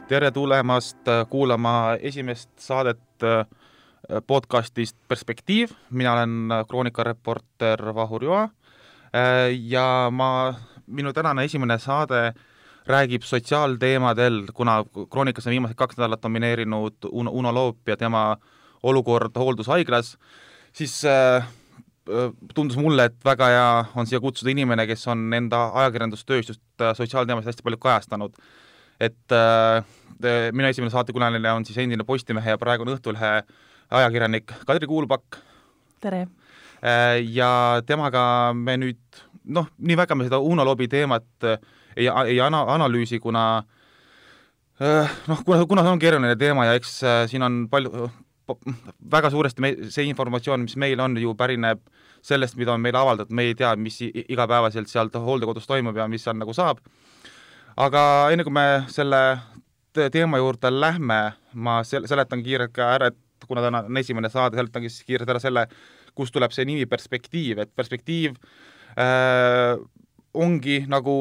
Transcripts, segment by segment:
Tere tulemast kuulama esimest saadet podcastist Perspektiiv. Mina olen kroonikareporter Vahur Joa ja minu tänane esimene saade räägib sotsiaalteemadel, kuna kroonikas on viimased 2 nädalat domineerinud Uno Loop ja tema olukord hooldushaiglas, siis tundus mulle, et väga hea on siia kutsuda inimene, kes on enda ajakirjandustöös just sotsiaalteemasid hästi palju kajastanud. Et minu esimene saatekülaline on siis endine Postimehe ja praegune Õhtulehe ajakirjanik Kadri Kuulpak. Tere! Ja temaga me nüüd, nii väga me seda Uno Loobi teemat ei analüüsi, kuna see on keeruline teema ja eks siin on väga suuresti see informatsioon, mis meil on, ju pärineb sellest, mida on meile avaldatud, me ei tea, mis igapäevaselt sealt hooldekodus toimub ja mis seal nagu saab. Aga enne kui me selle teema juurde lähme, ma seletan kiirelt ka ära, et kuna täna on esimene saade, seletan kiirelt ära selle, kust tuleb see nimi Perspektiiv. Et Perspektiiv ongi, nagu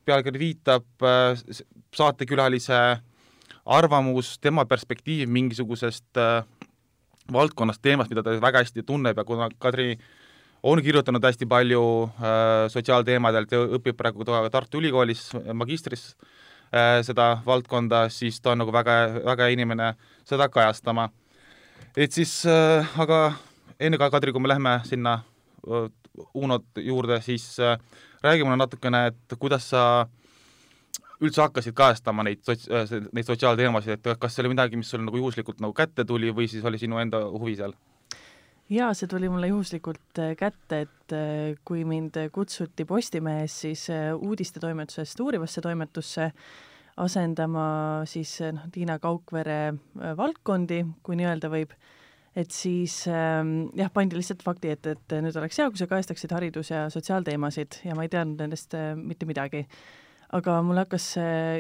pealkiri viitab, saatekülalise arvamus, tema perspektiiv mingisugusest valdkonnast, teemast, mida ta väga hästi tunneb ja kuna Kadri on kirjutanud hästi palju sotsiaalteemadelt ja õpib praegu Tartu Ülikoolis magistris seda valdkonda, siis ta on nagu väga inimene seda kajastama. Et siis, aga enne ka Kadri, kui me lähme sinna Unot juurde, siis räägime natukene, et kuidas sa üldse hakkasid kajastama neid sotsiaalteemasid, et kas see oli midagi, mis sul nagu juhuslikult nagu kätte tuli või siis oli sinu enda huvi seal? Jaa, see tuli mulle juhuslikult kätte, et kui mind kutsuti Postimehes siis uudistetoimetusest uurivasse toimetusse asendama siis Tiina Kaukvere valdkondi, kui nii öelda võib, et siis pandi lihtsalt fakti, et nüüd oleks hea, kui sa kajastaksid haridus- ja sotsiaalteemasid ja ma ei teadnud nendest mitte midagi. Aga mulle hakkas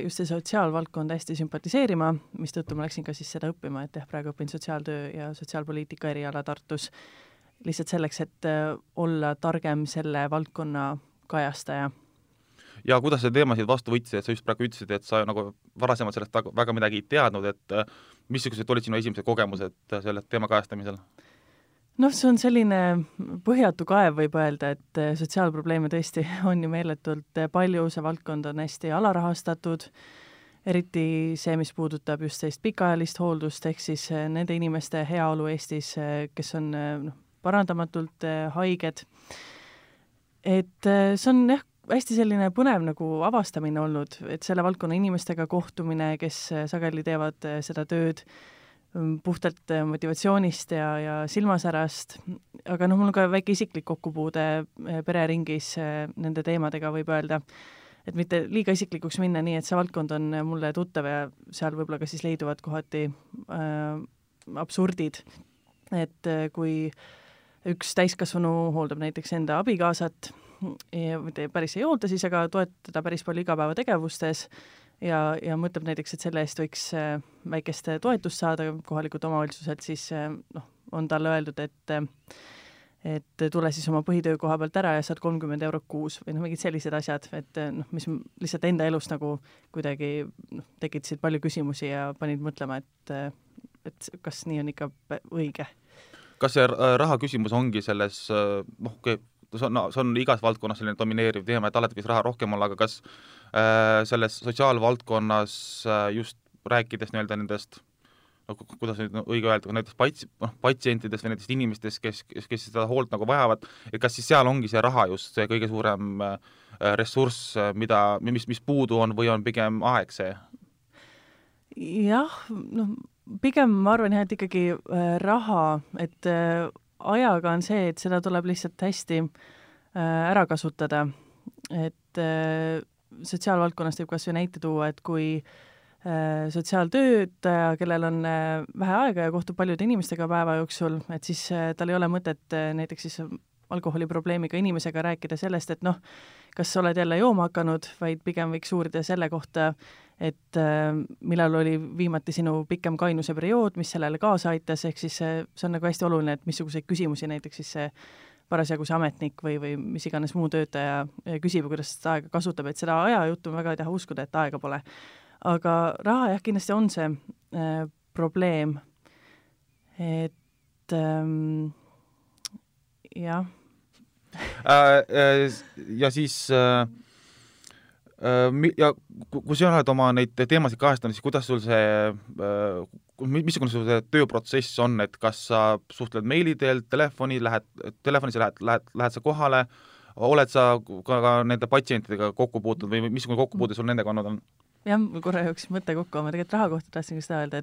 just see sotsiaalvaldkond hästi sümpatiseerima, mistõttu ma läksin ka siis seda õppima, et praegu õpin sotsiaaltöö ja sotsiaalpoliitika eriala Tartus lihtsalt selleks, et olla targem selle valdkonna kajastaja. Ja kuidas sa teemasid vastu võtsid, et sa just praegu ütlesid, et sa nagu varasemalt sellest väga midagi ei teadnud, et missugused olid sinu esimesed kogemused selle teema kajastamisel? See on selline põhjatu kaev, võib öelda, et sotsiaalprobleeme tõesti on ju meeletult palju, see valdkond on hästi alarahastatud, eriti see, mis puudutab just sellist pikaajalist hooldust, ehk siis nende inimeste heaolu Eestis, kes on parandamatult haiged. Et see on hästi selline põnev nagu avastamine olnud, et selle valdkonna inimestega kohtumine, kes sageli teevad seda tööd, puhtalt motivatsioonist ja silmasärast, aga mul on ka väike isiklik kokkupuude pereringis nende teemadega, võib öelda, et mitte liiga isiklikuks minna nii, et see valdkond on mulle tuttav ja seal võib-olla ka siis leiduvad kohati absurdid, et kui üks täiskasvanu hooldab näiteks enda abikaasat, mitte päris ei hoolda siis, aga toetada päris palju igapäevategevustes, ja mõtleb näiteks, et selle eest võiks väikest toetust saada kohalikult omavalitsuselt, siis on talle öeldud, et tule siis oma põhitöö koha pealt ära ja saad 30 € kuus või mingid sellised asjad, et mis lihtsalt enda elus nagu kuidagi tekitasid palju küsimusi ja panid mõtlema, et kas nii on ikka õige. Kas see raha küsimus ongi selles, see on igas valdkonnas selline domineeriv teema, et alati võiks raha rohkem olla, aga kas selles sotsiaalvaldkonnas just rääkides nendest, kuidas nüüd õige öelda, näiteks patsientidest või nendest inimestest, kes seda hoolt nagu vajavad, et kas siis seal ongi see raha just see kõige suurem ressurss, mis puudu on või on pigem aeg see? Jah, pigem ma arvan et ikkagi raha, et ajaga on see, et seda tuleb lihtsalt hästi ära kasutada, et sotsiaalvaldkonnast võib kas või näite tuua, et kui sotsiaaltöötaja, kellel on vähe aega ja kohtub paljude inimestega päeva jooksul, et siis tal ei ole mõtet näiteks siis alkoholiprobleemiga inimesega rääkida sellest, et kas sa oled jälle jooma hakanud, vaid pigem võiks uurida selle kohta, et millal oli viimati sinu pikem kainuse periood, mis sellele kaasa aitas, ehk siis see on nagu hästi oluline, et missuguseid küsimusi näiteks siis see parasjagu see ametnik või mis iganes muu töötaja küsib, kuidas seda aega kasutab, et seda ajajuttu ma väga ei taha uskuda, et aega pole. aga raha jah, kindlasti on see probleem, et jah. Ja siis ja kui sa oled oma neid teemasid kajastanud, siis kuidas sul see, missugune sul see tööprotsess on, et kas sa suhtled meili teel, telefonis lähed sa kohale, oled sa ka nende patsientidega kokku puutunud või missugune kokkupuude sul nendega olnud on? Jah, mul korra jooksis mõte kokku, ma tegelikult raha kohta tahtsin ka seda öelda,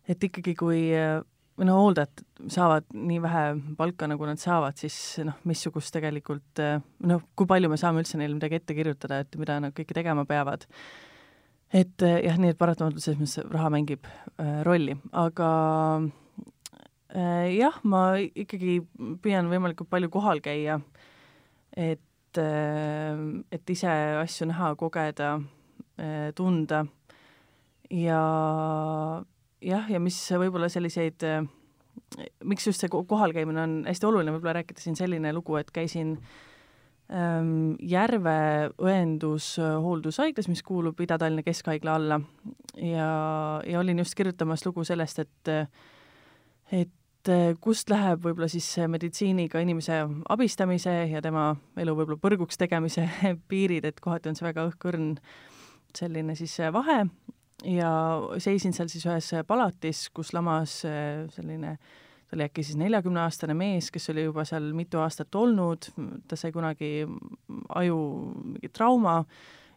et ikkagi kui hooldajad saavad nii vähe palka, nagu nad saavad, siis missugust tegelikult, kui palju me saame üldse neile midagi ette kirjutada, et mida nad kõike tegema peavad. Et jah, nii et paratamatult selles mõttes raha mängib rolli, aga jah, ma ikkagi püüan võimalikult palju kohal käia, et ise asju näha, kogeda, tunda ja jah, ja mis võib-olla selliseid, miks just see kohalkäimine on hästi oluline, võib-olla rääkida siin selline lugu, et käisin Järve õendushooldushaiglas, mis kuulub Ida-Tallinna Keskhaigla alla ja olin just kirjutamas lugu sellest, et kust läheb võib-olla siis meditsiiniga inimese abistamise ja tema elu võib-olla põrguks tegemise piirid, et kohati on see väga õhkõrn selline siis vahe ja seisin seal siis ühes palatis, kus lamas selline, ta oli äkki siis 40-aastane mees, kes oli juba seal mitu aastat olnud, ta sai kunagi aju mingi trauma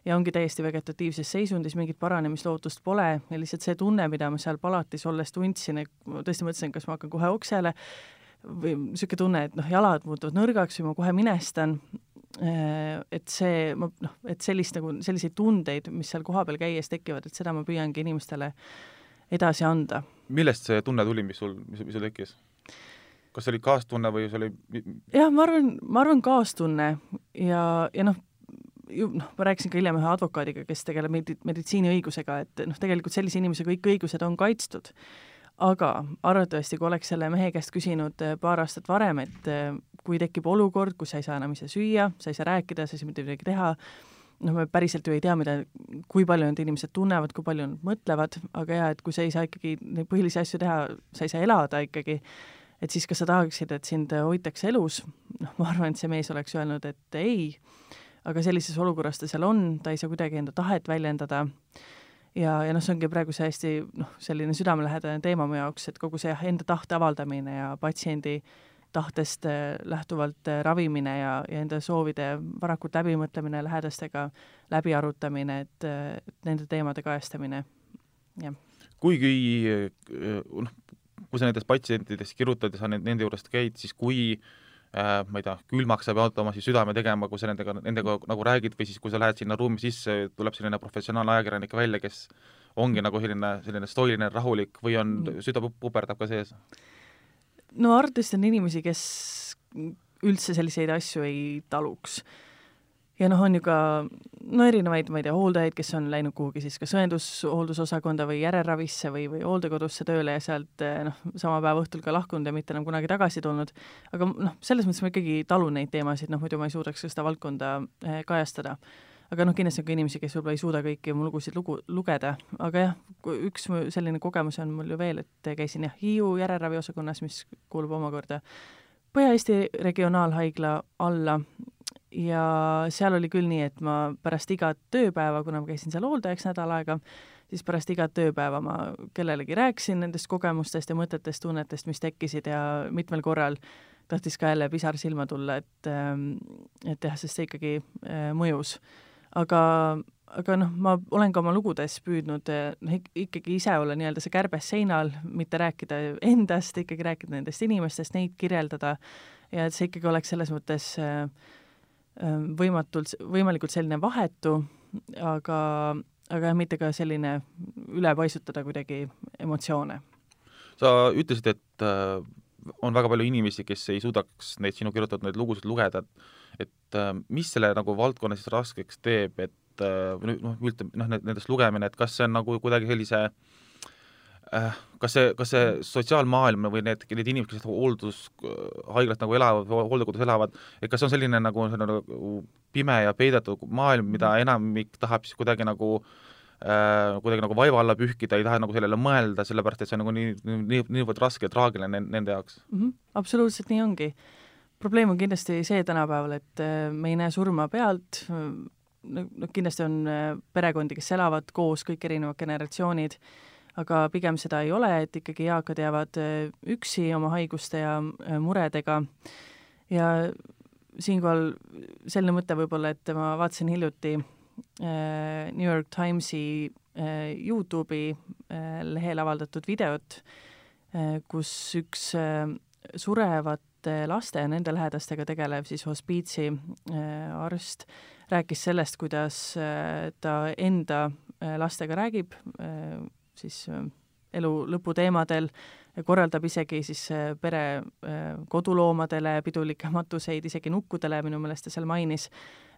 ja ongi täiesti vegetatiivses seisundis, mingit paranemislootust pole ja lihtsalt see tunne, mida ma seal palatis olles tundsin, ma tõesti mõtlesin, kas ma hakkan kohe oksele või niisugune tunne, et jalad muutuvad nõrgaks või ma kohe minestan, et see, et selliseid tundeid, mis seal kohapeal käies tekivad, et seda ma püüangi inimestele edasi anda. Millest see tunne tuli, mis sul tekkis? Kas see oli kaastunne või see oli... Jah, ma arvan kaastunne ja ma rääkisin ka hiljem ühe advokaadiga, kes tegeleb meditsiiniõigusega, et tegelikult sellise inimese kõik õigused on kaitstud. Aga arvatavasti, kui oleks selle mehe käest küsinud paar aastat varem, et kui tekib olukord, kus sa ei saa enam ise süüa, sa ei saa rääkida, sa ei saa mitte midagi teha, me päriselt ju ei tea, kui palju need inimesed tunnevad, kui palju nad mõtlevad, aga jah, et kui sa ei saa ikkagi neid põhilisi asju teha, sa ei saa elada ikkagi, et siis kas sa tahaksid, et sind hoitakse elus, ma arvan, et see mees oleks öelnud, et ei, aga sellises olukorras ta seal on, ta ei saa kuidagi enda tahet väljendada ja see ongi praegu see hästi selline südamelähedane teema mu jaoks, et kogu see enda tahte avaldamine ja patsiendi tahtest lähtuvalt ravimine ja enda soovide varakult läbimõtlemine, lähedastega läbi arutamine, et nende teemade kajastamine. Ja. Kuigi kui sa nendest patsientidest kirjutad ja sa nende juurest käid, siis kui ma ei tea, külmaks saab oma südame tegema, kui sa nendega nagu räägid või siis kui sa lähed sinna ruumi sisse, tuleb selline professionaalne ajakirjanik välja, kes ongi nagu selline stoiline, rahulik või on süda puperdab ka sees? No arvatavasti on inimesi, kes üldse selliseid asju ei taluks. Ja on ju ka erinevaid, ma ei tea, hooldajaid, kes on läinud kuhugi siis kas õendusosakonda või järelravisse või hooldekodusse tööle ja sealt sama päeva õhtul ka lahkunud ja mitte enam kunagi tagasi tulnud. Aga selles mõttes ma ikkagi talun neid teemasid, muidu ma ei suudaks seda valdkonda kajastada. Aga kindlasti on ka inimesi, kes võib-olla ei suuda kõiki mu lugusid lugeda. Aga jah, üks selline kogemus on mul ju veel, et käisin Hiiu järelraviosakonnas, mis kuulub omakorda Põhja-Eesti regionaalhaigla alla ja seal oli küll nii, et ma pärast igat tööpäeva, kuna ma käisin seal hooldajaks nädal aega, siis pärast igat tööpäeva ma kellelegi rääkisin nendest kogemustest ja mõtetest, tunnetest, mis tekkisid ja mitmel korral tahtis ka jälle pisar silma tulla, et jah, sest see ikkagi mõjus. Aga ma olen ka oma lugudes püüdnud ikkagi ise olla nii-öelda see kärbes seinal, mitte rääkida endast, ikkagi rääkida nendest inimestest, neid kirjeldada ja et see ikkagi oleks selles mõttes võimalikult selline vahetu, aga mitte ka selline üle paisutada kuidagi emotsioone. Sa ütlesid, et on väga palju inimesi, kes ei suudaks neid sinu kirjutatud neid lugusid lugeda, et mis selle nagu valdkonna siis raskeks teeb, et nendest lugemine, et kas see on nagu kuidagi sellise kas see sotsiaalmaailm või need inimesed, kes hooldushaiglat nagu elavad, hooldekodus elavad, et kas on selline nagu pime ja peidetud maailm, mida enamik tahab siis kuidagi nagu kuidagi nagu vaiva alla pühkida, ei taha nagu sellele mõelda, sellepärast et see on nagu niivõrd raske ja traagiline nende jaoks. Absoluutselt nii ongi. Probleem on kindlasti see tänapäeval, et me ei näe surma pealt, no kindlasti on perekondi, kes elavad koos, kõik erinevad generatsioonid, aga pigem seda ei ole, et ikkagi eakad jäävad üksi oma haiguste ja muredega. Ja siinkohal selline mõte võib-olla, et ma vaatasin hiljuti New York Timesi YouTube'i lehel avaldatud videot, kus üks surevate laste ja nende lähedastega tegelev siis hospiitsi arst rääkis sellest, kuidas ta enda lastega räägib siis elu lõputeemadel, korraldab isegi siis pere koduloomadele pidulikke matuseid, isegi nukkudele, minu meelest ta seal mainis,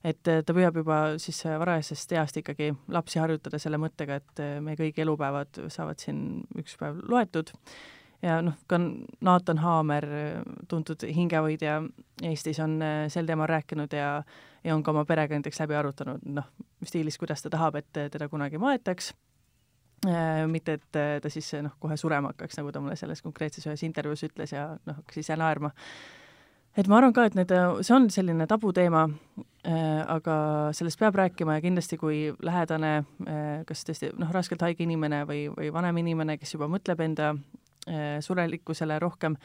et ta püüab juba siis varajasest east ikkagi lapsi harjutada selle mõttega, et meie kõik elupäevad saavad siin üks päev loetud. Ja ka Nathan Haamer, tuntud hingehoidja Eestis, on sel teemal rääkinud ja on ka oma perega näiteks läbi arutanud, stiilis, kuidas ta tahab, et teda kunagi maetaks. Mitte, et ta siis kohe surema hakkaks, nagu ta mulle selles konkreetses ühes intervjuus ütles ja hakkas ise naerma. Et ma arvan ka, et see on selline tabuteema, aga sellest peab rääkima ja kindlasti kui lähedane, kas tõesti raskelt haige inimene või vanem inimene, kes juba mõtleb enda surelikkusele rohkem,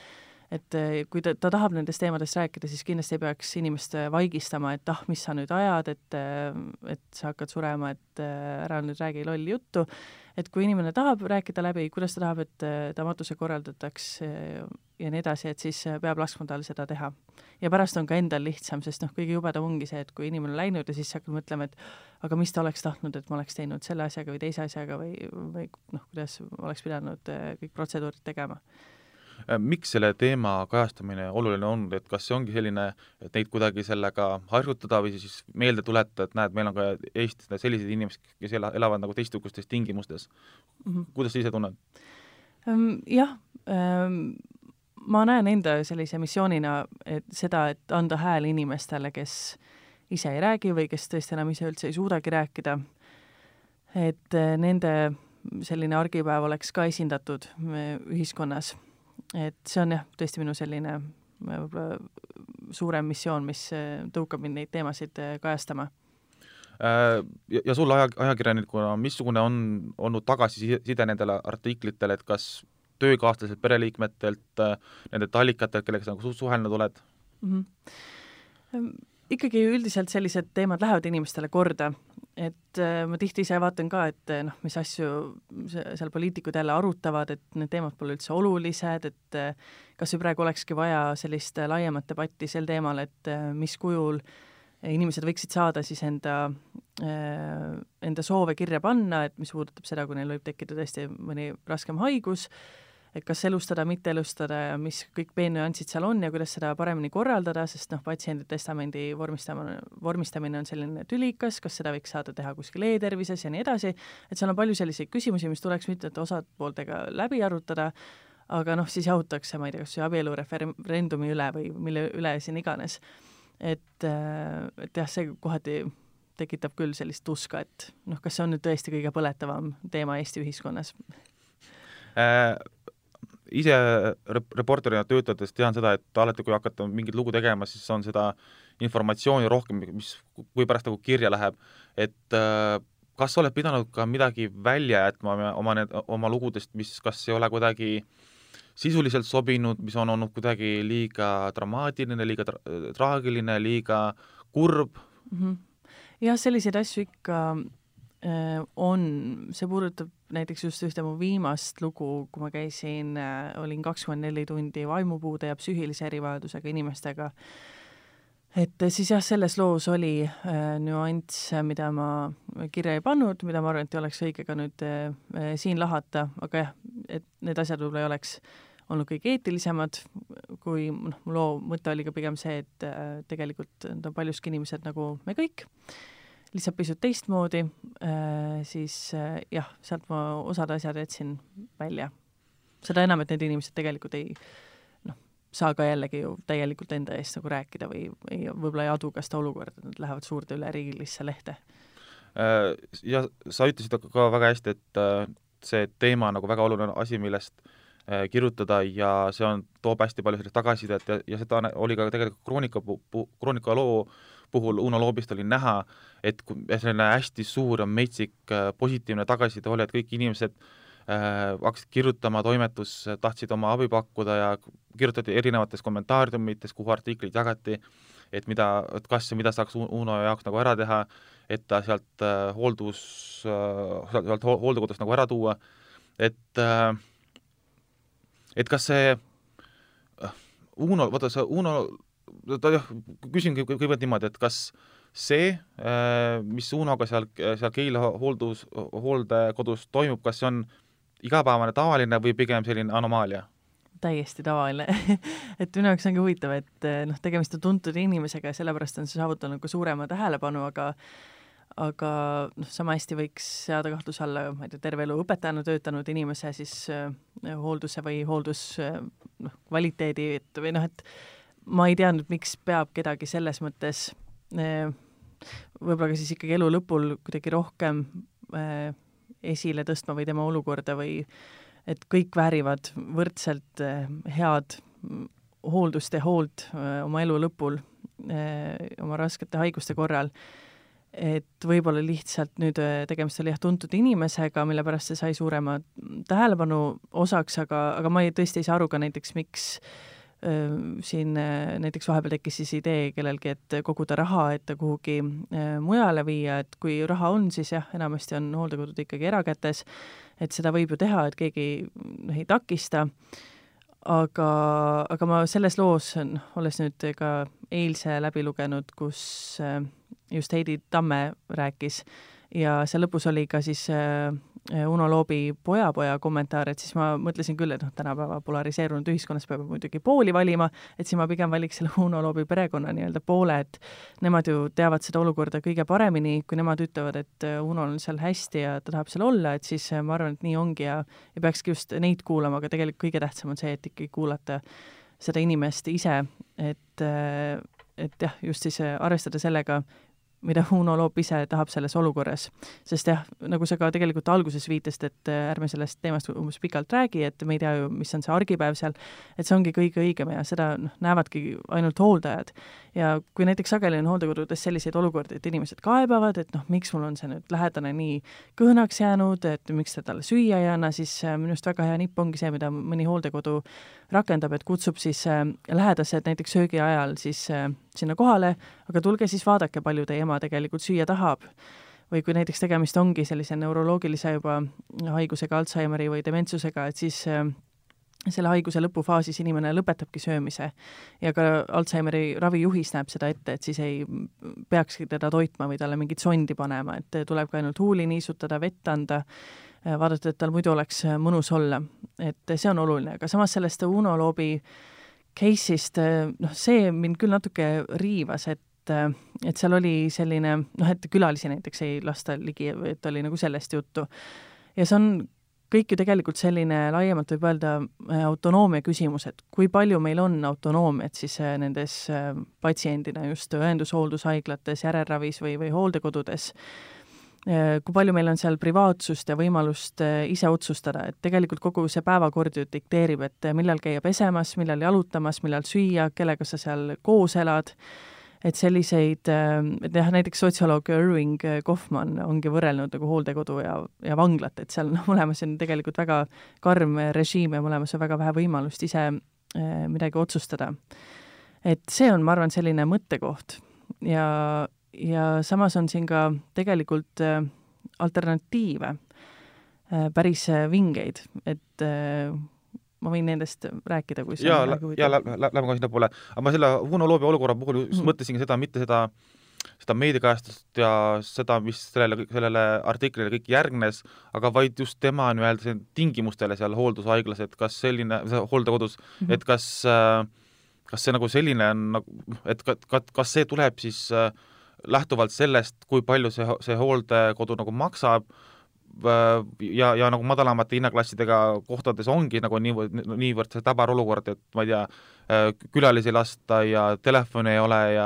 et kui ta tahab nendest teemadest rääkida, siis kindlasti ei peaks inimest vaigistama, et mis sa nüüd ajad, et sa hakkad surema, et ära nüüd räägi lolli juttu. Et kui inimene tahab rääkida läbi, kuidas ta tahab, et ta matuse korraldataks ja nii edasi, et siis peab laskma tal seda teha. Ja pärast on ka endal lihtsam, sest kõige jubedam ongi see, et kui inimene on läinud ja siis hakkab mõtlema, et aga mis ta oleks tahtnud, et ma oleks teinud selle asjaga või teise asjaga või kuidas oleks pidanud kõik protseduurid tegema. Miks selle teema kajastamine oluline on, et kas see ongi selline, et neid kuidagi sellega harjutada või siis meelde tuletada, et näed, meil on ka Eestis sellised inimesed, kes elavad nagu teistsugustes tingimustes. Kuidas sa ise tunned? Jah, ma näen enda sellise missioonina, et seda, et anda hääl inimestele, kes ise ei räägi või kes tõesti enam ise üldse ei suudagi rääkida, et nende selline argipäev oleks ka esindatud ühiskonnas. Et see on tõesti minu selline suurem missioon, mis tõukab mind neid teemasid kajastama. Ja sul ajakirjanikuna, missugune on olnud tagasiside nendele artiklitele, et kas töökaaslased pereliikmetelt, nende allikatelt, kellega sa suhelnud oled? Ikkagi üldiselt sellised teemad lähevad inimestele korda, et ma tihti ise vaatan ka, et mis asju seal poliitikud jälle arutavad, et need teemad pole üldse olulised, et kas või praegu olekski vaja sellist laiemat debatti sel teemal, et mis kujul inimesed võiksid saada siis enda soove kirja panna, et mis puudutab seda, kui neil võib tekkida tõesti mõni raskem haigus, et kas elustada, mitte elustada ja mis kõik peenüansid seal on ja kuidas seda paremini korraldada, sest patsiendi testamendi vormistamine on selline tülikas, kas seda võiks saada teha kuskil e-tervises ja nii edasi, et seal on palju selliseid küsimusi, mis tuleks mitmete osapooltega läbi arutada, aga siis jahutakse, ma ei tea, kas abielureferendumi üle või mille üle siin iganes. Et jah, see kohati tekitab küll sellist tuska, et kas see on nüüd tõesti kõige põletavam teema Eesti ühiskonnas? Ise reporterina töötades tean seda, et alati kui hakata mingit lugu tegema, siis on seda informatsiooni rohkem, mis kui pärast nagu kirja läheb, et kas sa oled pidanud ka midagi välja jätma oma lugudest, mis kas ei ole kuidagi sisuliselt sobinud, mis on olnud kuidagi liiga dramaatiline, liiga traagiline, liiga kurb? Jah, selliseid asju ikka on, see puudutab näiteks just ühte mu viimast lugu, kui ma käisin, olin 24 tundi vaimupuude ja psüühilise erivajadusega inimestega. Et siis jah, selles loos oli nüanss, mida ma kirja ei pannud, mida ma arvan, et ei oleks õige ka nüüd siin lahata, aga jah, et need asjad võib-olla ei oleks olnud kõige eetilisemad, kui mu loo mõte oli ka pigem see, et tegelikult on paljuski inimesed nagu me kõik, lihtsalt pisut teistmoodi, siis jah, sealt ma osad asjad jätsin välja. Seda enam, et need inimesed tegelikult ei saa ka jällegi ju täielikult enda eest nagu rääkida või võib-olla ei adu ka seda olukorda, nad lähevad suurde üle riigilisse lehte. ja sa ütlesid ka väga hästi, et see teema on nagu väga oluline asi, millest kirjutada ja see toob hästi palju sellist tagasisidet ja seda oli ka tegelikult Kroonika loo puhul Uno Loobist oli näha, et selline hästi suur ja metsik positiivne tagasiside oli, et kõik inimesed hakkasid kirjutama, toimetus tahtsid oma abi pakkuda ja kirjutati erinevates kommentaariumites, kuhu artiklid jagati, et kas ja mida saaks Uno jaoks nagu ära teha, et ta sealt hooldekodust nagu ära tuua, et kas see Uno, küsingi kõigepealt niimoodi, et kas see, mis Unoga seal Keila hooldekodus toimub, kas see on igapäevane tavaline või pigem selline anomaalia? Täiesti tavaline et minu jaoks ongi huvitav, et tegemist on tuntud inimesega ja sellepärast on see saavutanud ka suurema tähelepanu, aga sama hästi võiks seada kahtluse alla, ma ei tea, terve elu õpetajana töötanud inimese siis hoolduse või kvaliteedi, et ma ei tea nüüd, miks peab kedagi selles mõttes võib-olla ka siis ikkagi elu lõpul kuidagi rohkem esile tõstma või tema olukorda või et kõik väärivad võrdselt head hooldust ja hoolt oma elu lõpul, oma raskete haiguste korral. Et võib-olla lihtsalt nüüd tegemist oli tuntud inimesega, mille pärast see sai suurema tähelepanu osaks, aga ma tõesti ei saa aru ka näiteks, miks siin näiteks vahepeal tekkis siis idee kellelgi, et koguda raha, et ta kuhugi mujale viia, et kui raha on, siis jah, enamasti on hooldekodud ikkagi erakätes, et seda võib ju teha, et keegi ei takista, aga ma selles loos, olles nüüd ka eilse läbi lugenud, kus just Heidi Tamme rääkis ja see lõpus oli ka siis Uno Loobi poja kommentaar, et siis ma mõtlesin küll, et tänapäeva polariseerunud ühiskonnas peab muidugi pooli valima, et siis ma pigem valiks selle Uno Loobi perekonna nii-öelda poole, et nemad ju teavad seda olukorda kõige paremini, kui nemad ütlevad, et Uno on seal hästi ja ta tahab seal olla, et siis ma arvan, et nii ongi ja peakski just neid kuulama, aga tegelikult kõige tähtsam on see, et ikkagi kuulata seda inimest ise, et jah, just siis arvestada sellega, mida Uno Loop ise tahab selles olukorras. Sest jah, nagu sa ka tegelikult alguses viitasid, et ärme sellest teemast umbes pikalt räägi, et me ei tea ju, mis on see argipäev seal, et see ongi kõige õigem ja seda näevadki ainult hooldajad. Ja kui näiteks sageli on hooldekodudes selliseid olukordi, et inimesed kaebavad, et miks mul on see nüüd lähedane nii kõhnaks jäänud, et miks ta talle süüa ei anna, siis minust väga hea nipp ongi see, mida mõni hooldekodu rakendab, et kutsub siis lähedased näiteks söögi ajal siis sinna kohale, aga tulge siis vaadake, palju teie ema tegelikult süüa tahab. Või kui näiteks tegemist ongi sellise neuroloogilise juba haigusega, Alzheimeri või dementsusega, et siis selle haiguse lõpufaasis inimene lõpetabki söömise. Ja ka Alzheimeri ravijuhis näeb seda ette, et siis ei peakski teda toitma või talle mingit sondi panema, et tuleb ka ainult huuli niisutada, vett anda, vaadata, et tal muidu oleks mõnus olla. Et see on oluline, aga samas sellest Uno Loobi case'ist, see mind küll natuke riivas, et seal oli selline, et külalisi näiteks ei lasta ligi, et oli nagu sellest juttu. Ja see on kõik ju tegelikult selline laiemalt võib öelda autonoomia küsimus, et kui palju meil on autonoomiat siis nendes patsiendina just õendushooldusaiglates, järelravis või hooldekodudes, kui palju meil on seal privaatsust ja võimalust ise otsustada, et tegelikult kogu see päevakord ju dikteerib, et millal käia pesemas, millal jalutamas, millal süüa, kellega sa seal koos elad, et selliseid, et jah, näiteks sotsioloog Irving Kaufman ongi võrrelnud nagu hooldekodu ja vanglat, et seal mõlemas on tegelikult väga karm režiim ja mõlemas on väga vähe võimalust ise midagi otsustada. Et see on, ma arvan, selline mõttekoht ja samas on siin ka tegelikult alternatiive, päris vingeid, et ma võin nendest rääkida, kui see on nagu lähme ka sinna poole. Aga ma selle Uno Loobi olukorra puhul mõtlesingi seda, mitte seda meediakajastust ja seda, mis sellele artiklile kõik järgnes, aga vaid just tema nii-öelda tingimustele seal hooldushaiglas, et kas selline, hooldekodus, et kas see nagu selline on, et kas see tuleb siis lähtuvalt sellest, kui palju see hooldekodu nagu maksab ja nagu madalamate hinnaklassidega kohtades ongi nagu niivõrd see täbar olukord, et ma ei tea, külalisi ei lasta ja telefoni ei ole ja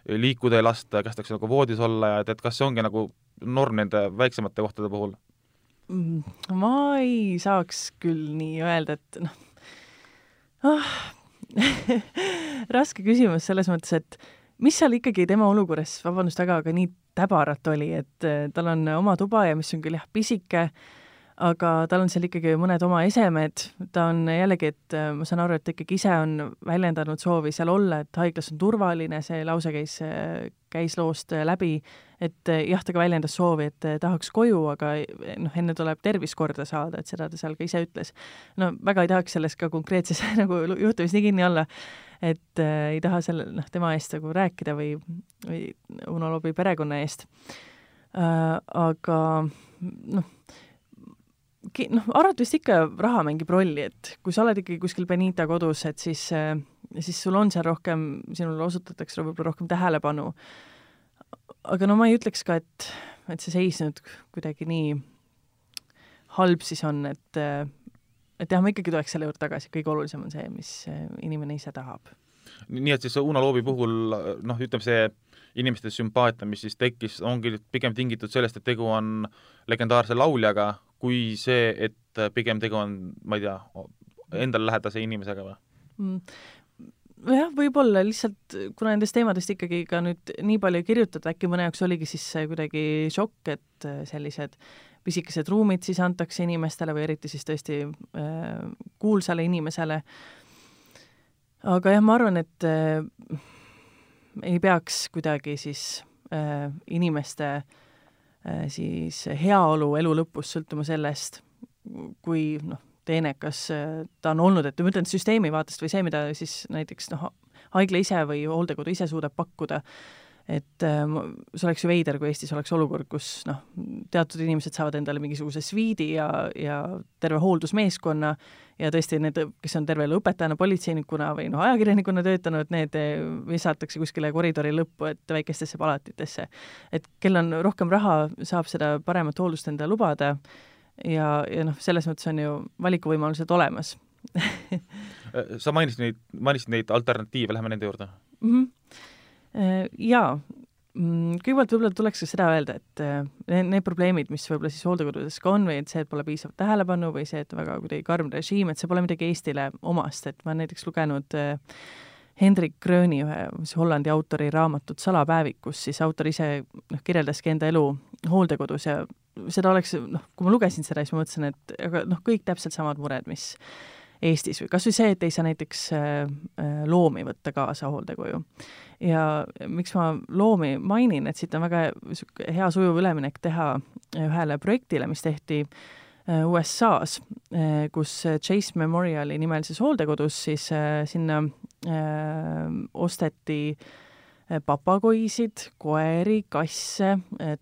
liikuda ei lasta ja kästakse nagu voodis olla ja et kas see ongi nagu norm nende väiksemate kohtade puhul? Ma ei saaks küll nii öelda, et raske küsimus selles mõttes, et mis seal ikkagi tema olukorras, vabandust väga, aga nii täbarat oli, et tal on oma tuba ja mis on küll jah pisike, aga tal on seal ikkagi mõned oma esemed, ta on jällegi, et ma saan aru, et ikkagi ise on väljendanud soovi seal olla, et haiglas on turvaline, see lause käis loost läbi, et jah, ta ka väljendas soovi, et tahaks koju, aga enne tuleb tervis korda saada, et seda ta seal ka ise ütles. No väga ei tahaks selles ka konkreetses nagu juhtumis nii kinni olla, et ei taha tema eest nagu rääkida või Uno Loobi perekonna eest. Aga arvata vist ikka raha mängib rolli, et kui sa oled ikkagi kuskil Benita kodus, et siis sul on seal rohkem, sinule osutatakse võib-olla rohkem tähelepanu. Aga ma ei ütleks ka, et see seis nüüd kuidagi nii halb siis on, et jah, ma ikkagi tuleks selle juurde tagasi, kõige olulisem on see, mis inimene ise tahab. Nii et siis Uno Loobi puhul, ütleme see inimeste sümpaatia, mis siis tekkis, ongi pigem tingitud sellest, et tegu on legendaarse lauljaga, kui see, et pigem tegu on, ma ei tea, endale lähedase inimesega või? Jah, võib-olla lihtsalt, kuna nendest teemadest ikkagi ka nüüd nii palju kirjutada, äkki mõne jaoks oligi siis kuidagi šokk, et sellised pisikesed ruumid siis antakse inimestele või eriti siis tõesti kuulsale inimesele. Aga jah, ma arvan, et ei peaks kuidagi siis inimeste siis heaolu elu lõpus sõltuma sellest, kui teenekas ta on olnud, et ma ütlen süsteemi vaatest või see, mida siis näiteks haigla ise või hooldekodu ise suudab pakkuda, et see oleks ju veider, kui Eestis oleks olukord, kus teatud inimesed saavad endale mingisuguse sviidi ja terve hooldusmeeskonna ja tõesti need, kes on terve õpetajana, politseinikuna või ajakirjanikuna töötanud, need visatakse kuskile koridori lõppu, et väikestesse palatitesse. Et kel on rohkem raha, saab seda paremat hooldust enda lubada ja selles mõttes on ju valikuvõimalused olemas. Sa mainisid neid alternatiive, läheme nende juurde? Jaa, kõigepealt võib-olla tuleks ka seda öelda, et need probleemid, mis võib-olla siis hooldekodudes ka on või et see, et pole piisavalt tähelepanu või see, et väga kuidagi karm režiim, et see pole midagi Eestile omast, et ma olen näiteks lugenud Hendrik Gröni, ühe Hollandi autori raamatut Salapäevik, kus siis autor ise kirjeldaski enda elu hooldekodus ja seda oleks, kui ma lugesin seda, siis ma mõtlesin, et aga kõik täpselt samad mured, mis Eestis või kas või see, et ei saa näiteks loomi võtta kaasa hooldekoju. Ja miks ma loomi mainin, et siit on väga hea sujuv üleminek teha ühele projektile, mis tehti USA-s, kus Chase Memoriali nimelises hooldekodus siis sinna osteti papagoisid, koeri, kasse,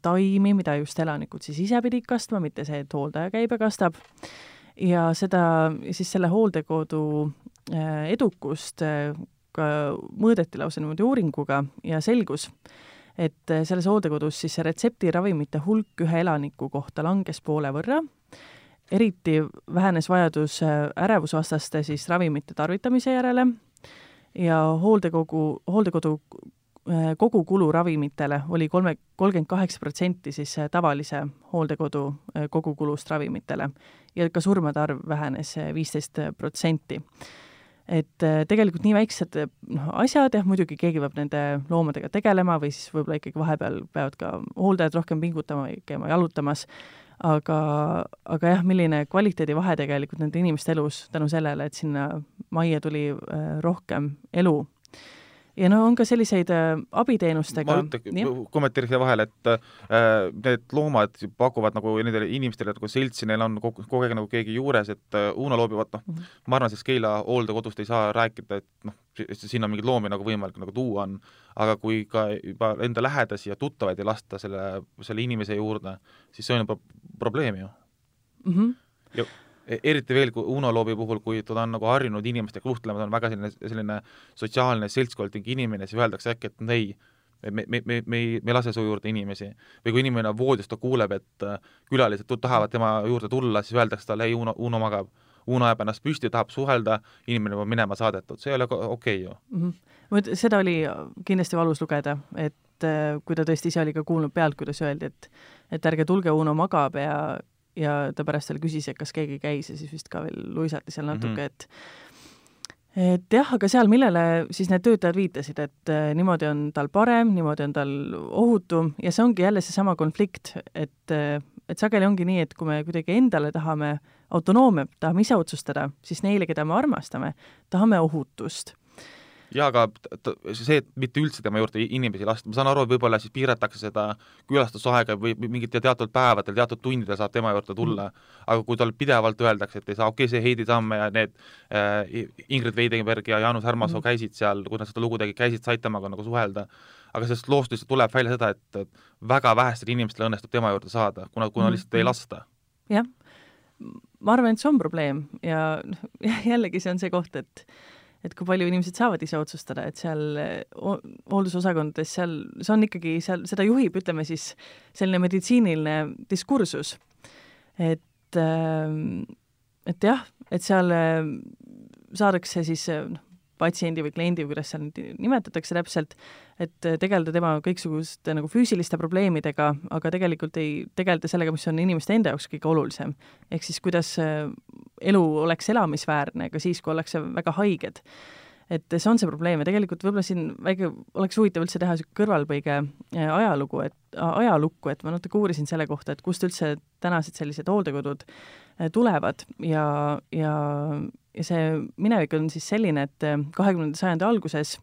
taimi, mida just elanikud siis ise pidid kastma, mitte see, et hooldaja käib ja kastab. Ja seda siis selle hooldekodu edukust ka mõõdeti lausa niimoodi uuringuga ja selgus, et selles hooldekodus siis retseptiravimite hulk ühe elaniku kohta langes poole võrra, eriti vähenes vajadus ärevusvastaste siis ravimite tarvitamise järele ja hooldekodu kogukulu ravimitele oli 38% siis tavalise hooldekodu kogukulust ravimitele ja ka surmade arv vähenes 15%. Et tegelikult nii väiksed asjad, muidugi keegi peab nende loomadega tegelema või siis võib-olla ikkagi vahepeal peavad ka hooldajad rohkem pingutama või käima jalutamas, aga jah, milline kvaliteedivahe tegelikult nende inimeste elus tänu sellele, et sinna majja tuli rohkem elu. Ja on ka selliseid abiteenustega. Ma kommenteeriks vahel, et need loomad pakuvad nagu nendele inimestele nagu seltsi, neil on kogu aeg nagu keegi juures, et Uno Loobi, ma arvan, siis Keila hooldekodust ei saa rääkida, et siin on mingid loomi nagu võimalik nagu tuua on, aga kui ka juba enda lähedasi ja tuttavaid ei lasta selle inimese juurde, siis see on juba probleem ju. Ja eriti veel kui Uno Loobi puhul, kui ta on nagu harjunud inimestega suhtlema, ta on väga selline sotsiaalne seltskondlik inimene, siis öeldakse äkki, et ei, me ei lase su juurde inimesi. Või kui inimene voodist ta kuuleb, et külalised tahavad tema juurde tulla, siis öeldakse talle, ei, Uno magab. Uno jääb ennast püsti, tahab suhelda, inimene on minema saadetud. See ei ole okei ju. Seda oli kindlasti valus lugeda, et et kui ta tõesti ise oli ka kuulnud pealt, kuidas öeldi, et ärge tulge, Uno magab ja ta pärast veel küsis, et kas keegi käis ja siis vist ka veel luisati seal natuke, et jah, aga seal, millele siis need töötajad viitasid, et niimoodi on tal parem, niimoodi on tal ohutum ja see ongi jälle seesama konflikt, et sageli ongi nii, et kui me kuidagi endale tahame autonoomiat, tahame ise otsustada, siis neile, keda me armastame, tahame ohutust. Jaa, aga see, et mitte üldse tema juurde inimesi lasta, ma saan aru, et võib-olla siis piiratakse seda külastusaega või mingit teatud päevadel, teatud tundidel saab tema juurde tulla, aga kui tal pidevalt öeldakse, et ei saa, okei, see Heidi Tamme ja need Ingrid Veidenberg ja Jaanus Härmasoo käisid seal, kui nad seda lugu tegid, käisid, said temaga nagu suhelda, aga sellest loost lihtsalt tuleb välja seda, et väga vähestel inimestel õnnestub tema juurde saada, kuna lihtsalt ei lasta. Jah, ma arvan, et see on probleem ja jällegi see on see koht, et kui palju inimesed saavad ise otsustada, et seal hooldusosakondades seal, see on ikkagi, seal seda juhib, ütleme siis, selline meditsiiniline diskursus. Et jah, et seal saadakse siis patsiendi või kliendi, kuidas seal nimetatakse täpselt, et tegeleda tema kõiksuguste nagu füüsiliste probleemidega, aga tegelikult ei tegeleda sellega, mis on inimeste enda jaoks kõige olulisem. Ehk siis, kuidas elu oleks elamisväärne, ka siis, kui ollakse väga haiged. Et see on see probleem ja tegelikult võib-olla siin väike oleks huvitav üldse teha kõrvalpõige ajalukku, et ma natuke uurisin selle kohta, et kust üldse tänased sellised hooldekodud tulevad ja see minevik on siis selline, et 20. sajandi alguses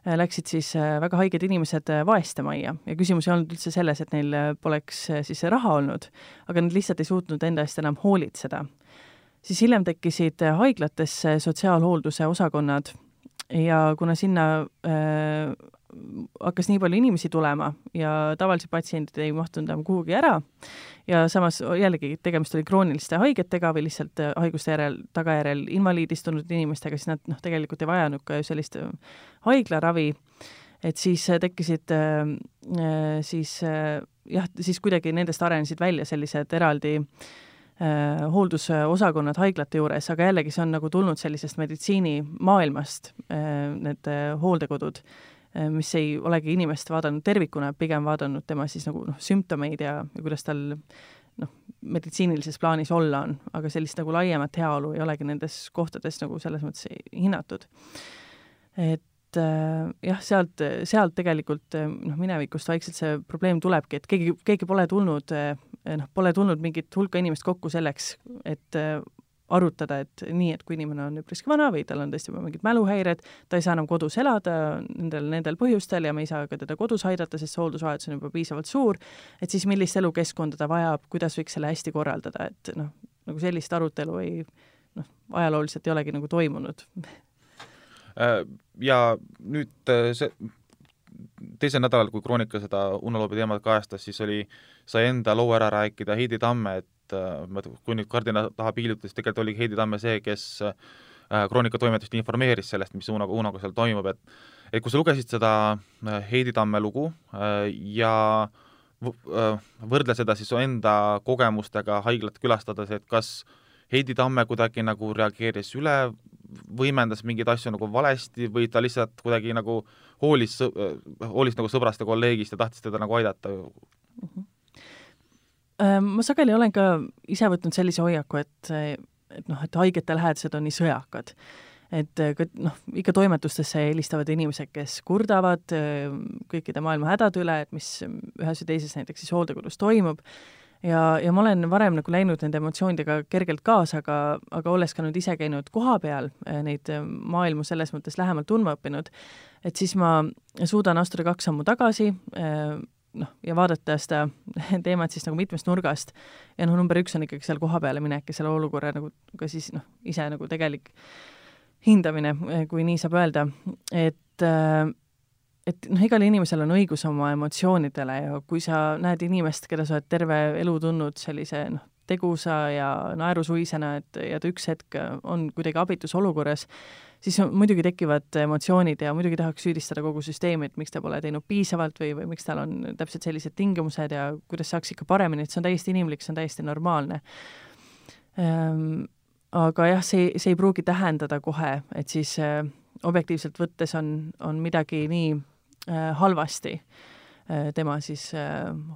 läksid siis väga haiged inimesed vaestemajja ja küsimus ei olnud üldse selles, et neil poleks siis raha olnud, aga nad lihtsalt ei suutnud enda eest enam hoolitseda. Siis hiljem tekkisid haiglatesse sotsiaalhoolduse osakonnad ja kuna sinna hakkas nii palju inimesi tulema ja tavalised patsiendid ei mahtunud enam kuhugi ära ja samas jällegi tegemist oli krooniliste haigetega või lihtsalt haiguste tagajärjel invaliidistunud inimestega, siis nad tegelikult ei vajanud ka sellist haiglaravi, et siis tekkisid siis kuidagi nendest arenesid välja sellised eraldi hooldusosakonnad haiglate juures, aga jällegi see on nagu tulnud sellisest meditsiinimaailmast, need hooldekodud, mis ei olegi inimest vaadanud tervikuna, pigem vaadanud tema siis nagu sümptomeid ja kuidas tal meditsiinilises plaanis olla on, aga sellist nagu laiemat heaolu ei olegi nendes kohtades nagu selles mõttes hinnatud. Et jah, sealt tegelikult minevikust vaikselt see probleem tulebki, et keegi pole tulnud mingit hulka inimest kokku selleks, et arutada, et nii, et kui inimene on üpriski vana või tal on tõesti mingid mäluhäired, ta ei saa enam kodus elada nendel põhjustel ja me ei saa ka teda kodus aidata, sest see hooldusvajadus on juba piisavalt suur, et siis millist elukeskkonda ta vajab, kuidas võiks selle hästi korraldada, et nagu sellist arutelu ajalooliselt ei olegi nagu toimunud. Ja nüüd teisel nädalal, kui Kroonika seda Uneloobi teemat kajastas, siis sai enda loo ära rääkida Heidi Tamme, et kui nüüd kardina taha piiluta, siis tegelikult oli Heidi Tamme see, kes Kroonika toimetust informeeris sellest, mis Unoga seal toimub, et kui sa lugesid seda Heidi Tamme lugu ja võrdle seda siis enda kogemustega haiglat külastades, et kas Heidi Tamme kuidagi nagu reageeris üle, võimendas mingeid asju nagu valesti või ta lihtsalt kuidagi nagu hoolis nagu sõbrast ja kolleegist ja tahtis teda nagu aidata? Ma sageli olen ka ise võtnud sellise hoiaku, et haigete lähedased on nii sõjakad. Et ikka toimetustesse helistavad inimesed, kes kurdavad kõikide maailma hädad üle, et mis ühes või teises näiteks siis hooldekodus toimub. Ja ma olen varem nagu läinud nende emotsioonidega kergelt kaasa, aga olles ka nüüd ise käinud koha peal, neid maailmu selles mõttes lähemalt tundma õppinud, et siis ma suudan astuda 2 sammu tagasi ja vaadata seda teemat siis nagu mitmest nurgast. Ja number 1 on ikkagi seal koha peale minek ja selle olukorra nagu ka siis ise nagu tegelik hindamine, kui nii saab öelda, et igal inimesel on õigus oma emotsioonidele ja kui sa näed inimest, keda sa oled terve elu tundnud sellise tegusa ja naerusuisena, ja ta üks hetk on kuidagi abitus olukorras, siis muidugi tekivad emotsioonid ja muidugi tahaks süüdistada kogu süsteemi, et miks ta pole teinud piisavalt või miks tal on täpselt sellised tingimused ja kuidas saaks ikka paremini, et see on täiesti inimlik, see on täiesti normaalne. Aga jah, see ei pruugi tähendada kohe, et siis objektiivselt võttes on midagi nii halvasti. tema siis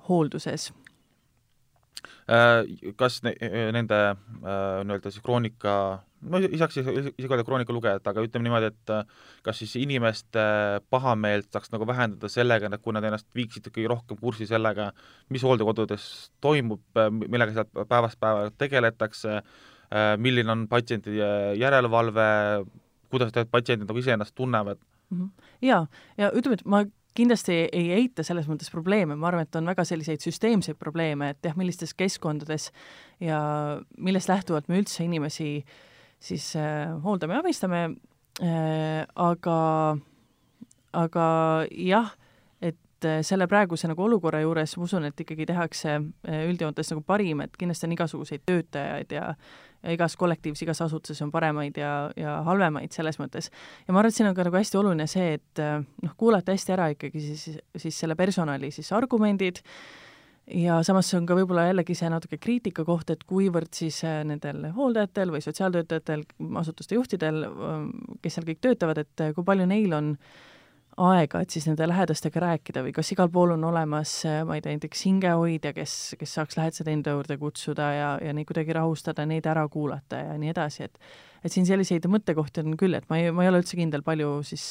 hoolduses. Kas nende nii-öelda siis kroonika, no isegi öelda kroonika lugejad, aga ütleme niimoodi, et kas siis inimeste pahameelt saaks nagu vähendada sellega, et kui nad ennast viiksid ikkagi rohkem kursi sellega, mis hooldekodudes toimub, millega seal päevast päeva tegeletakse, milline on patsientide järelevalve, kuidas patsiendid nagu ise ennast tunnevad? Ja ütleme, et ma kindlasti ei eita selles mõttes probleeme, ma arvan, et on väga selliseid süsteemseid probleeme, et jah, millistes keskkondades ja millest lähtuvalt me üldse inimesi siis hooldame ja abistame, aga jah, et selle praeguse nagu olukorra juures ma usun, et ikkagi tehakse üldjoontes nagu parim, et kindlasti on igasuguseid töötajaid ja igas kollektiivis, igas asutuses on paremaid ja halvemaid selles mõttes. Ja ma arvan, et siin on ka nagu hästi oluline see, et kuulata hästi ära ikkagi siis selle personali siis argumendid ja samas on ka võib-olla jällegi see natuke kriitika koht, et kuivõrd siis nendel hooldajatel või sotsiaaltöötajatel, asutuste juhtidel, kes seal kõik töötavad, et kui palju neil on aega, et siis nende lähedastega rääkida või kas igal pool on olemas, ma ei tea, näiteks hingehoidja, kes saaks lähedased enda juurde kutsuda ja neid kuidagi rahustada, neid ära kuulata ja nii edasi, et siin selliseid mõttekohti on küll, et ma ei ole üldse kindel, palju siis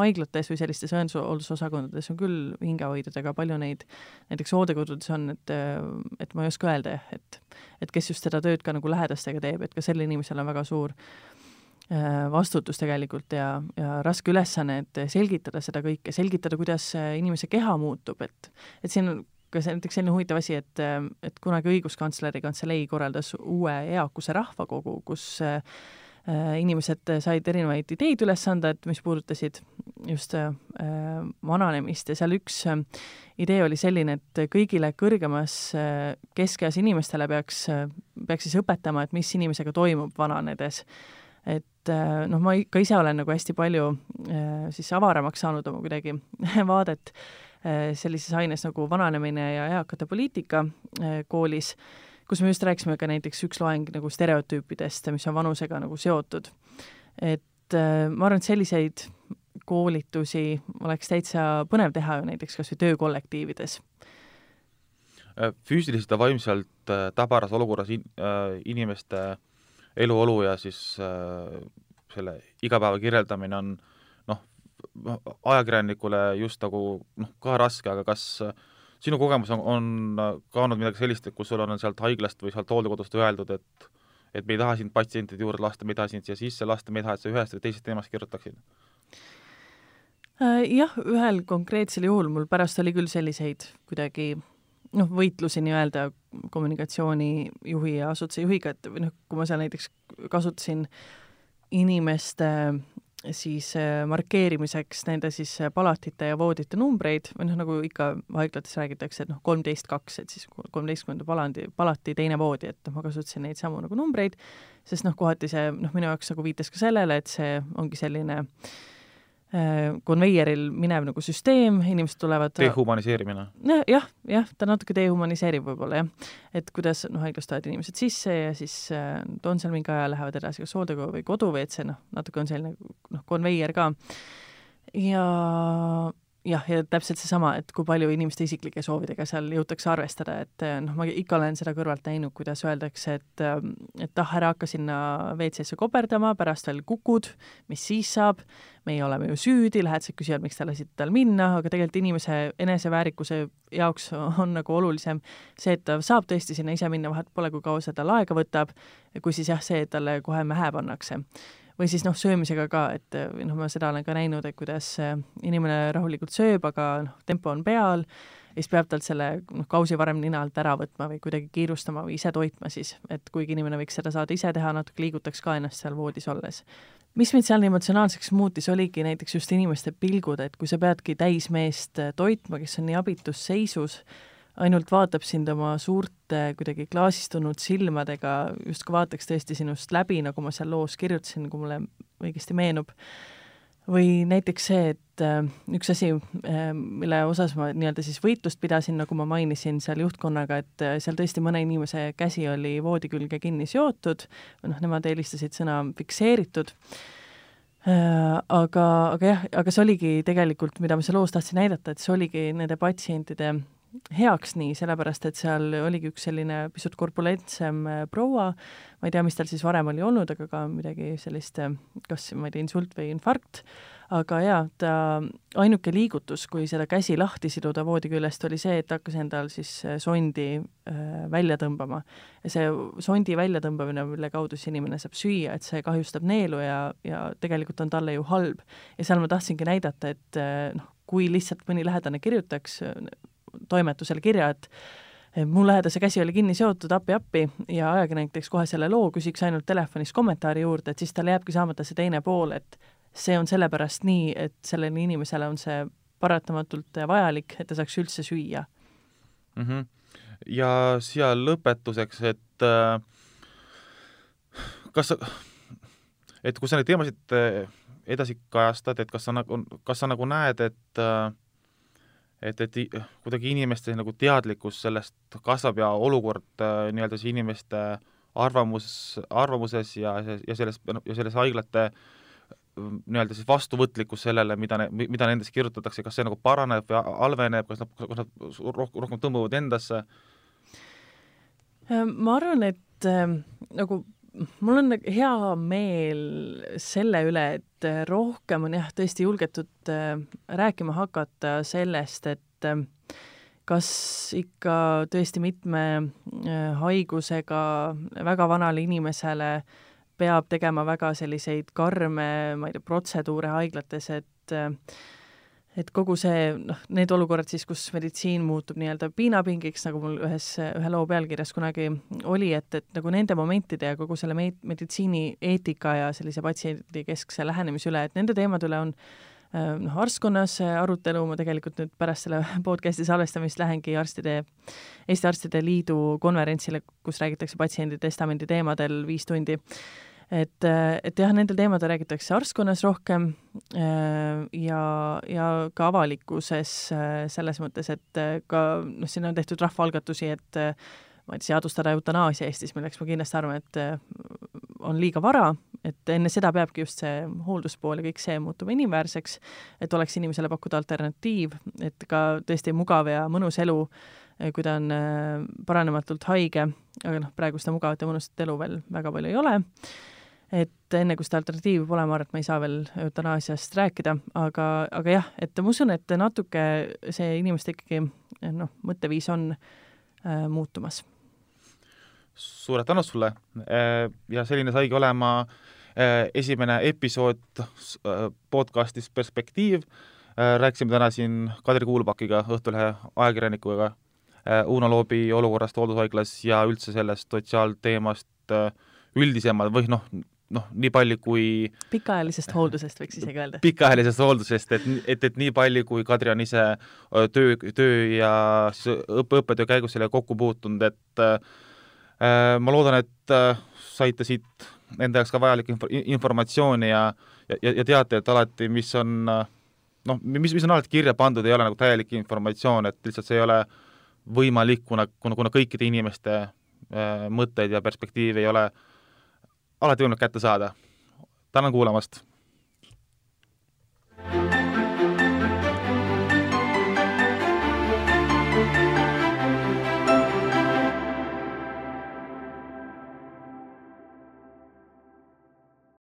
haiglates või sellistes õendusosakondades on küll hingehoidjadega, palju neid näiteks hooldekodudes on, et ma ei oska öelda, et kes just seda tööd ka nagu lähedastega teeb, et ka sellel inimesel on väga suur vastutus tegelikult ja raske ülesanne, et selgitada seda kõike, selgitada, kuidas inimese keha muutub, et siin on ka näiteks selline huvitav asi, et kunagi õiguskantsleri kantselei korraldas uue eakuse rahvakogu, kus inimesed said erinevaid ideid üles anda, et mis puudutasid just vananemist ja seal üks idee oli selline, et kõigile kõrgemas keskeas inimestele peaks siis õpetama, et mis inimesega toimub vananedes. Et ma ka ise olen nagu hästi palju siis avaramaks saanud oma kuidagi vaadet sellises aines nagu vananemine ja eakate poliitika koolis, kus me just rääkisime ka näiteks üks loeng nagu stereotüüpidest, mis on vanusega nagu seotud. Et ma arvan, et selliseid koolitusi oleks täitsa põnev teha ju näiteks kas või töökollektiivides. Füüsiliselt ja vaimselt tabaras olukorras inimeste eluolu ja siis selle igapäeva kirjeldamine on ajakirjanikule just nagu ka raske, aga kas sinu kogemus on ka olnud midagi sellist, et kus sul on sealt haiglast või sealt hooldekodust öeldud, et me ei taha sind patsientide juurde lasta, me ei taha sind siia sisse lasta, me ei taha, et sa ühest või teisest teemast kirjutaksid? Jah, ühel konkreetsel juhul mul pärast oli küll selliseid kuidagi võitlusi nii-öelda kommunikatsioonijuhi ja asutuse juhiga, et kui ma seal näiteks kasutasin inimeste siis markeerimiseks nende siis palatite ja voodite numbreid, või nagu ikka haiglates räägitakse, et 13-2, et siis 13. palati teine voodi, et ma kasutasin neid samu nagu numbreid, sest kohati see minu jaoks nagu viitas ka sellele, et see ongi selline konveieril minev nagu süsteem, inimesed tulevad dehumaniseerimine. Jah, ta natuke dehumaniseerib võib-olla, jah. Et kuidas haiglas tulevad inimesed sisse ja siis on seal mingi aja, lähevad edasi kas hooldekodu või kodu või et see natuke on selline konveier ka. Ja täpselt seesama, et kui palju inimeste isiklike soovidega seal jõutakse arvestada, et ma ikka olen seda kõrvalt näinud, kuidas öeldakse, et ära hakka sinna WC-sse koperdama, pärast veel kukud, mis siis saab, meie oleme ju süüdi, lähedased küsivad, miks te lasid tal minna, aga tegelikult inimese eneseväärikuse jaoks on nagu olulisem see, et ta saab tõesti sinna ise minna, vahet pole, kui kaua seda aega võtab, kui siis jah, see, et talle kohe mähe pannakse. Või siis söömisega ka, et ma seda olen ka näinud, et kuidas inimene rahulikult sööb, aga tempo on peal, ja siis peab talt selle kausi varem nina alt ära võtma või kuidagi kiirustama või ise toitma siis, et kuigi inimene võiks seda saada ise teha, natuke liigutaks ka ennast seal voodis olles. Mis mind seal emotsionaalseks muutis, oligi näiteks just inimeste pilgud, et kui sa peadki täismeest toitma, kes on nii abitus seisus, ainult vaatab sind oma suurte kuidagi klaasistunud silmadega, just kui vaataks tõesti sinust läbi, nagu ma seal loos kirjutasin, kui mulle õigesti meenub. Või näiteks see, et üks asi, mille osas ma nii-öelda siis võitlust pidasin, nagu ma mainisin seal juhtkonnaga, et seal tõesti mõne inimese käsi oli voodi külge kinni seotud, või nemad eelistasid sõna fikseeritud. aga see oligi tegelikult, mida ma seal loos tahtsin näidata, et see oligi nende patsientide heaks nii, sellepärast et seal oligi üks selline pisut korpulentsem proua, ma ei tea, mis tal siis varem oli olnud, aga ka midagi sellist, kas, ma ei tea, insult või infarkt, aga jaa, ta ainuke liigutus, kui seda käsi lahti siduda voodi küljest, oli see, et hakkas endal siis sondi välja tõmbama. Ja see sondi välja tõmbamine, mille kaudu see inimene saab süüa, et see kahjustab neelu ja tegelikult on talle ju halb. Ja seal ma tahtsingi näidata, et kui lihtsalt mõni lähedane kirjutaks toimetusele kirja, et mu lähedase käsi oli kinni seotud, appi ja ajakirjanik teeks kohe selle loo, küsiks ainult telefonis kommentaari juurde, et siis talle jääbki saamata see teine pool, et see on sellepärast nii, et sellele inimesele on see paratamatult vajalik, et ta saaks üldse süüa. Ja siia lõpetuseks, et kui sa neid teemasid edasi kajastad, et kas sa nagu näed, et kuidagi inimeste nagu teadlikkus sellest kasvab ja olukord nii-öelda see inimeste arvamuses ja selles haiglate nii-öelda siis vastuvõtlikkus sellele, mida nendest kirjutatakse, kas see nagu paraneb või halveneb, kas nad rohkem tõmbuvad endasse? Ma arvan, et nagu mul on hea meel selle üle, et rohkem on jah, tõesti julgetud rääkima hakata sellest, et kas ikka tõesti mitme haigusega väga vanale inimesele peab tegema väga selliseid karme, ma ei tea, protseduure haiglates, et kogu see, need olukorrad siis, kus meditsiin muutub nii-öelda piinapingiks, nagu mul ühe loo pealkirjas kunagi oli, et nagu nende momentide ja kogu selle meditsiini eetika ja sellise patsiendi keskse lähenemise üle, et nende teemade üle on arstkonnas arutelu, ma tegelikult nüüd pärast selle podcasti salvestamist lähengi Eesti Arstide Liidu konverentsile, kus räägitakse patsiendi testamendi teemadel 5 tundi. Et jah, nendel teemadel räägitakse arstkonnas rohkem ja ka avalikkuses selles mõttes, et ka siin on tehtud rahvaalgatusi, et ma ei tea, seadustada eutanaasia Eestis, milleks ma kindlasti arvan, et on liiga vara, et enne seda peabki just see hoolduspool ja kõik see muutuma inimväärseks, et oleks inimesele pakkuda alternatiiv, et ka tõesti mugav ja mõnus elu, kui ta on paranematult haige, aga praegu seda mugavat ja mõnusat elu veel väga palju ei ole. Et enne kui seda alternatiivi pole, ma arvan, et ma ei saa veel eutanaasiast rääkida, aga jah, et ma usun, et natuke see inimeste ikkagi mõtteviis on muutumas. Suured tänud sulle ja selline saigi olema esimene episood podcastis Perspektiiv. Rääkisime täna siin Kadri Kuulbakiga, Õhtulehe ajakirjanikuga, Uno Loobi olukorrast hooldushaiglas ja üldse sellest sotsiaalteemast üldisemalt või nii palju kui pikaajalisest hooldusest võiks isegi öelda. Pikaajalisest hooldusest, et nii palju kui Kadri on ise töö ja õppetöö käigus selle kokku puutunud, et ma loodan, et saite siit enda jaoks ka vajalik informatsiooni ja teate, et alati, mis on alati kirja pandud, ei ole nagu täielik informatsioon, et lihtsalt see ei ole võimalik, kuna kõikide inimeste mõtteid ja perspektiivi ei ole alati võimalik kätte saada. Tänan kuulamast!